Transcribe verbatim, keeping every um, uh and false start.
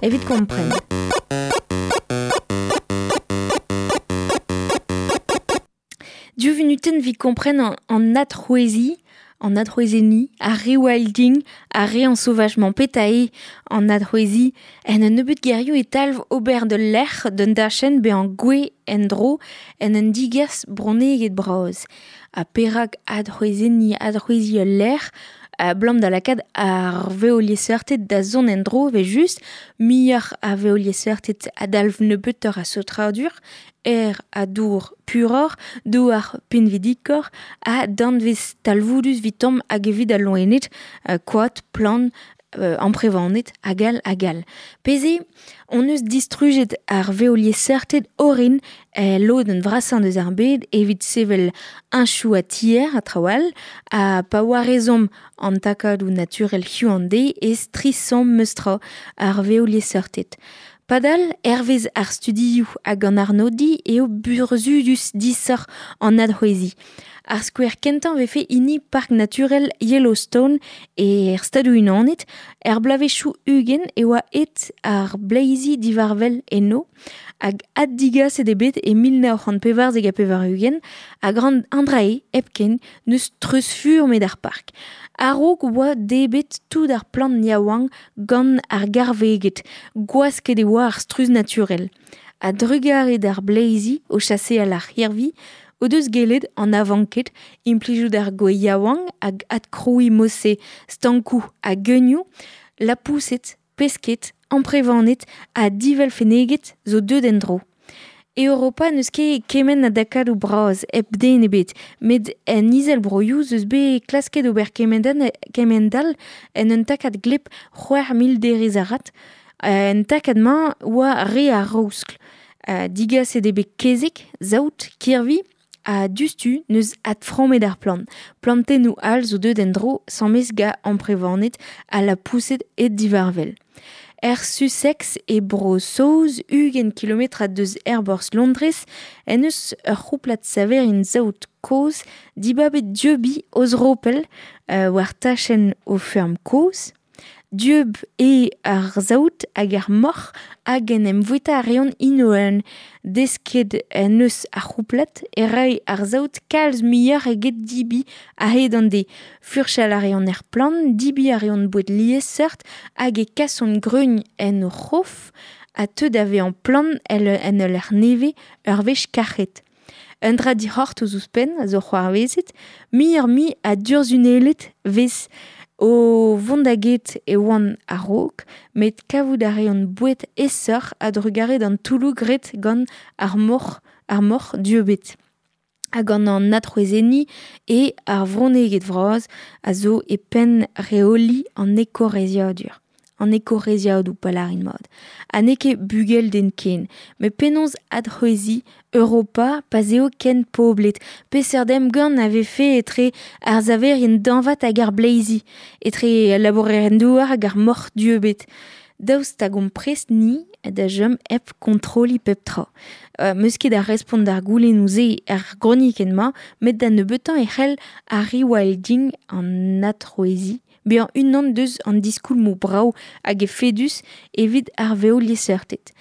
Evit kompren. Div vunutenn evit kompren an, an adc'hwezi, an adc'hwezenniñ, ar rewilding, ar re ensauvagement petra eo an adc'hwezi. En un nebeud gerioù e talv ober d'ul lec'h d'un dachenn bezañ gouez en-dro en un digas bronneged bras. Ha perak adc'hwezenniñ, adc'hweziñ ul lec'h, a blam da lakaat ar veoliesseurted da zont en-dro evel-just, muioc'h a veoliesseurted a dalv nebeutoc'h a saotradur, aer ha dour puroc'h, douar pinvidikoc'h, ha danvez talvoudus 'vitomp hag evit al loened, koad, plant, euh, amprevaned, hag all hag all. Pezh eo, hon eus distrujet ar veoliesseurted orin e lodenn vrasañ deus ar bed evit sevel heñchoù ha tier ha traoù all, ha pa warezomp an takadoù naturel hiziv an deiz e strisomp meus-tra ar veoliesseurted. Padal, hervez ar studioù hag an arnodiñ eo burzhudus disoc'h an adc'hweziñ. Ar skouer kentañ vefe hini park naturel Yellowstone er Stadoù-Unanet, er bloavezhioù ugent e oa aet ar bleizi divarvel eno, hag addigaset eo bet e mil nav c'hant pevarzek ha pevar-ugent, hag an dra-se hepken n'eus treuzfurmet ar park. A-raok oa debret tout ar plant yaouank gant ar garveged, gwasket e oa ar struzh naturel. A-drugarez d'ar bleizi o chaseal ar c'hirvi, o deus gellet an avanked implijout ar gwez yaouank hag adkrouiñ mod-se stankoù ha geunioù, lapoused, pesked, amprevaned ha divelfenneged zo deuet en-dro. E Europa n'eus ket kement a dakadoù bras hep den ebet, met en izelvroioù 'z eus bet klasket ober kement all en un takad gleb c'hwec'h mil derez arat. En takad-mañ oa re ar raoskl. Digaset eo bet kezeg, saout, kirvi, ha diouzhtu n'eus adframmet ar plant. Plantennoù all zo deuet en-dro 'sammes gant amprevaned ha lapoused aet divarvel. Er Sussex e Bro-Saoz, ugent kilometrad deus aerborzh Londrez, en eus ur c'houplad saverien saout kozh dibabet dieubiñ o zropell euh, war tachenn o feurm kozh. Dieub eo ar saout hag ar moc'h hag en em voueta a reont int Desket en eus ar c'houplad e ray ar saout kalz muioc'h eget dibi a-hed an deiz. Furchal a reont er plant, dibi a reont boued liesseurt hag e kasont greun en o c'hof ha teu da vezañ plant en ul lec'h nevez ur wech kac'het. Un dra dic'hortoz ouzhpenn a zo c'hoarvezet, muioc'h-mui a durzhunelled 'vez o vont da get e oant a-raok, met kavout a reont boued aesoc'h a-drugarez d'an toulloù graet gant ar moc'h, ar moc'h dieubet. Hag gant an adc'hwezenniñ e ar vronneged vras a zo e penn reoliñ an ekoreizhiadur. An ekoreizhiadoù pa lârin mat. Ha n'eo ket bugel den ken, met penaos adc'hweziñ Europa pa 'z eo ken poblet. Peseurt emgann a vefe etre ar saverien dañvad hag ar bleizi, etre al labourerien-douar hag ar moc'h dieubet. Daoust hag omp prest ni da chom hep kontroliñ pep tra. Euh, 'meus ket da respont d'ar goulennoù-se er gronikenn-mañ, met da nebeutañ e c'hell ar rewilding an adc'hweziñ bezañ unan deus an diskoulmoù brav hag efedus evit ar veoliesseurted.